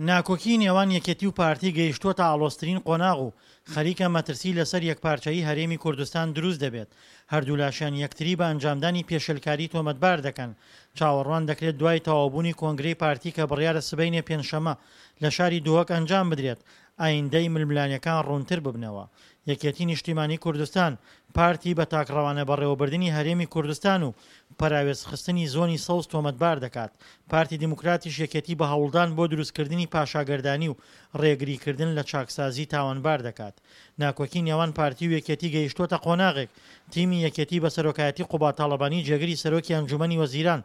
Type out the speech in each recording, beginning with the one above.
ناکۆکی نێوان یەکێتی و پارتی گەیشتووەتە ئاڵۆزترین قۆناغ و خەریکە مەترسی لەسەر یەکپارچەیی هەرێمی کوردستان دروست دەبێت، هەردوولاشیان یەکتری بە ئەنجامدانی پێشێلکاری تۆمەتبار دەکەن، چاوەڕوان دەکرێت دوای تەواوبوونی کۆنگرەی پارتی کە بڕیارە سبەینێ پێنجشەممە لە شاری دهۆک ئەنجام بدرێت، ئایندەی ململانێکان ڕوونتر ببنەوە. یەکێتی نیشتیمانی کوردستان، پارتی بە تاکڕەوانە بەڕێوەبردنی هەرێمی کوردستان و پەراوێزخستنی زۆنی سەوز تۆمەتبار دەکات، پارتی دیموکراتیش یەکێتی بە هەوڵدان بۆ دروستکردنی پاشاگەردانی و ڕێگریکردن لە چاکسازی تاوانبار دەکات. ناکۆکی نێوان پارتی و یەکێتی گەیشتووەتە قۆناغێک، تیمی یەکێتی بە سەرۆکایەتی قوباد تاڵەبانی جێگری سەرۆکی ئەنجومەنی وەزیران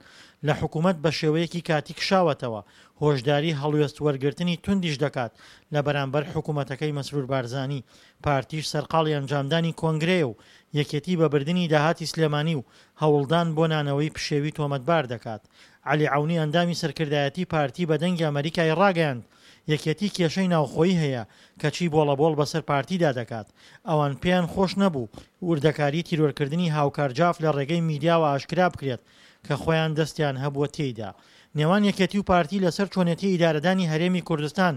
لە حکومەت بەشێوەیەکی کاتی کشاوەتەوە، هۆشداری هەڵوێست وەرگرتنی توندیش دەکات لە بەرامبەر حکومەتەکەی مەسرور بارزانی، پارتیش سەرقاڵی ئەنجامدانی کۆنگرەیە و یەکێتی بە بردنی داهاتی سلێمانی و هەوڵدان بۆ نانەوەی پشێوی تۆمەتبار دەکات. عەلی عەونی ئەندامی سەرکردایەتی پارتی بە دەنگی ئەمەریکای ڕاگەیاند، یەکێتی کێشەی ناوخۆیی هەیە کەچی بۆڵەبۆڵ بەسەر پارتیدا دەکات، ئەوان پێیان خۆش نەبوو وردەکاری تیرۆرکردنی هاوکار جاف لە ڕێگەی میدیاوە ئاشکرا بکرێت کە خۆیان دەستیان هەبووە تێیدا. نێوان یەکێتی و پارتی لەسەر چۆنێتی ئیدارەدانی هەرێمی کوردستان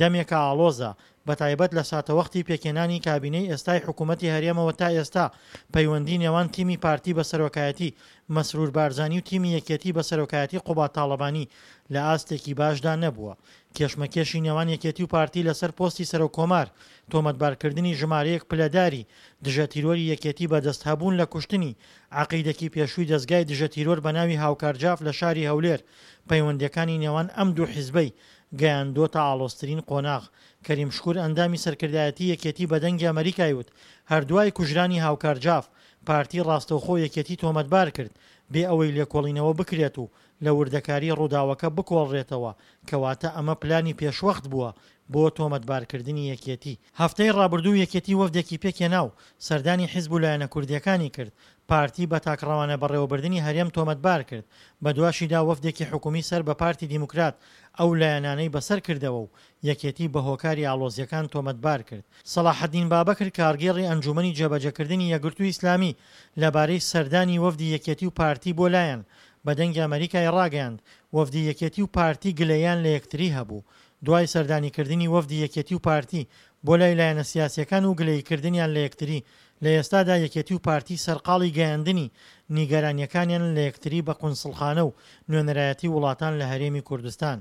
دەمێکە ئاڵۆزە، بەتایبەت لە ساتەوەختی پێکهێنانی کابینەی ئێستای حکوومەتی هەرێمەوە تا ئێستا پەیوەندی نێوان تیمی پارتی بە سەرۆکایەتی مەسرور بارزانی و تیمی یەکێتی بە سەرۆکایەتی قوباد تاڵەبانی لە ئاستێکی باشدا نەبووە. کێشمەکێشی نێوان یەکێتی و پارتی لەسەر پۆستی سەرۆک کۆمار، تۆمەتبارکردنی ژمارەیەک پلەداری دژەتیرۆری یەکێتی بە دەستهەبوون لە کوشتنی عەقیدەکی پێشووی دەزگای دژەتیرۆر بە ناوی هاوکار جاف لە شاری هەولێر، پەیوەندییەکانی نێوان ئەم دوو حیزبەی گەیاندۆتە ئاڵۆزترین قۆناغ. کەریم شکور ئەندامی سەرکردایەتی یەکێتی بە دەنگی ئەمەریکای وت، هەر دوای کوژرانی هاوکار جاف، پارتی ڕاستەوخۆ یەکێتی تۆمەتبار کرد، بێ ئەوەی لێکۆڵینەوە بکرێت و لە وردەکاری ڕووداوەکە بکۆڵرێتەوە، کەواتە ئەمە پلانی پێشوەخت بووە بۆ تۆمەتبارکردنی یەکێتی. هەفتەی ڕابردوو یەکێتی وەفدێکی پێکهێنا و سەردانی حیزب و لایەنە کوردییەکانی کرد، پارتی بە تاکڕەوانە بەڕێوەبردنی هەرێم تۆمەتبار کرد، بەدواشیدا وەفدێکی حکومی سەر بە پارتی دیموکرات ئەو لایەنانەی بەسەر کردەوە و یەکێتی بە هۆکاری ئاڵۆزییەکان تۆمەتبار کرد. سەڵاحەدین بابەکر کارگێڕی ئەنجوومەنی جێبەجێکردنی یەکگرتووی ئیسلامی لەبارەی سەردانی وەفدی یەکێتی و پارتی بۆ لایەن بە دەنگی ئەمەریکای ڕاگەیاند، وەفدی یەکێتی و پارتی گلەییان لە یەکتری هەبوو دوای سەردانیکردنی وەفدی یەکێتی و پارتی بۆ لای لایەنە سیاسییەکان و گلەییکردنیان لە یەکتری، لە ئێستادا یەکێتی و پارتی سەرقاڵی گەیاندنی نیگەرانییەکانیانن لە یەکتری بە قونسڵخانە و نوێنەرایەتی وڵاتان لە هەرێمی کوردستان.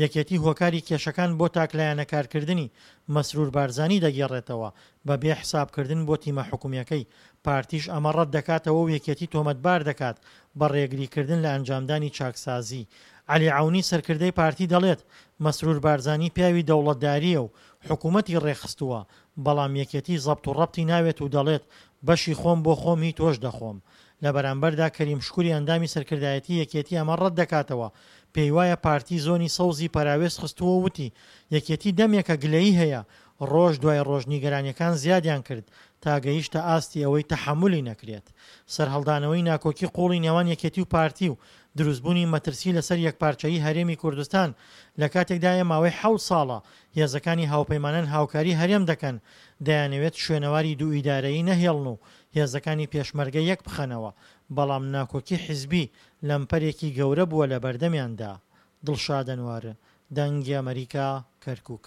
یەکێتی هۆکاری کێشەکان بۆ تاکلایەنە کارکردنی مەسرور بارزانی دەگێڕێتەوە بە بێ حسابکردن بۆ تیمە حکومییەکەی، پارتیش ئەمە ڕەتدەکاتەوە و یەکێتی تۆمەتبار دەکات بە ڕێگریکردن لە ئەنجامدانی چاکسازی. عەلی عەونی سەرکردەی پارتی دەڵێت، مەسرور بارزانی پیاوی دەوڵەتدارییە و حکومەتی ڕێکخستووە، بەڵام یەکێتی زەبت و ڕەبتی ناوێت و دەڵێت، بەشی خۆم بۆ خۆم هی تۆش دەخۆم. لە بەرامبەردا کەریم شکوری ئەندامی سەرکردایەتی یەکێتی ئەمە ڕەتدەکاتەوە، پێیوایە پارتی زۆنی سەوزی پەراوێز خستووە و وتی، یەکێتی دەمێکە گلەیی هەیە، ڕۆژ دوای ڕۆژ نیگەرانیەکان زیادیان کرد تا گەیشتە ئاستی ئەوەی تەحەمولی نەکرێت. سەرهەڵدانەوەی ناکۆکی قوڵی نێوان یەکێتی و پارتی و دروستبوونی مەترسی لەسەر یەکپارچەیی هەرێمی کوردستان لەکاتێکدایە ماوەی حەوت ساڵە هێزەکانی هاوپەیمانان هاوکاری هەرێم دەکەن دەیانەوێت شوێنەواری دوو ئیدارەیی نەهێڵن و هێزەکانی پێشمەرگە یەکبخەنەوە، بەڵام ناکۆکی حیزبی لەمپەرێکی گەورە بووە لەبەردەمیاندا. دڵشاد ئەنوەر، دەنگی ئەمەریکا، کەرکوک.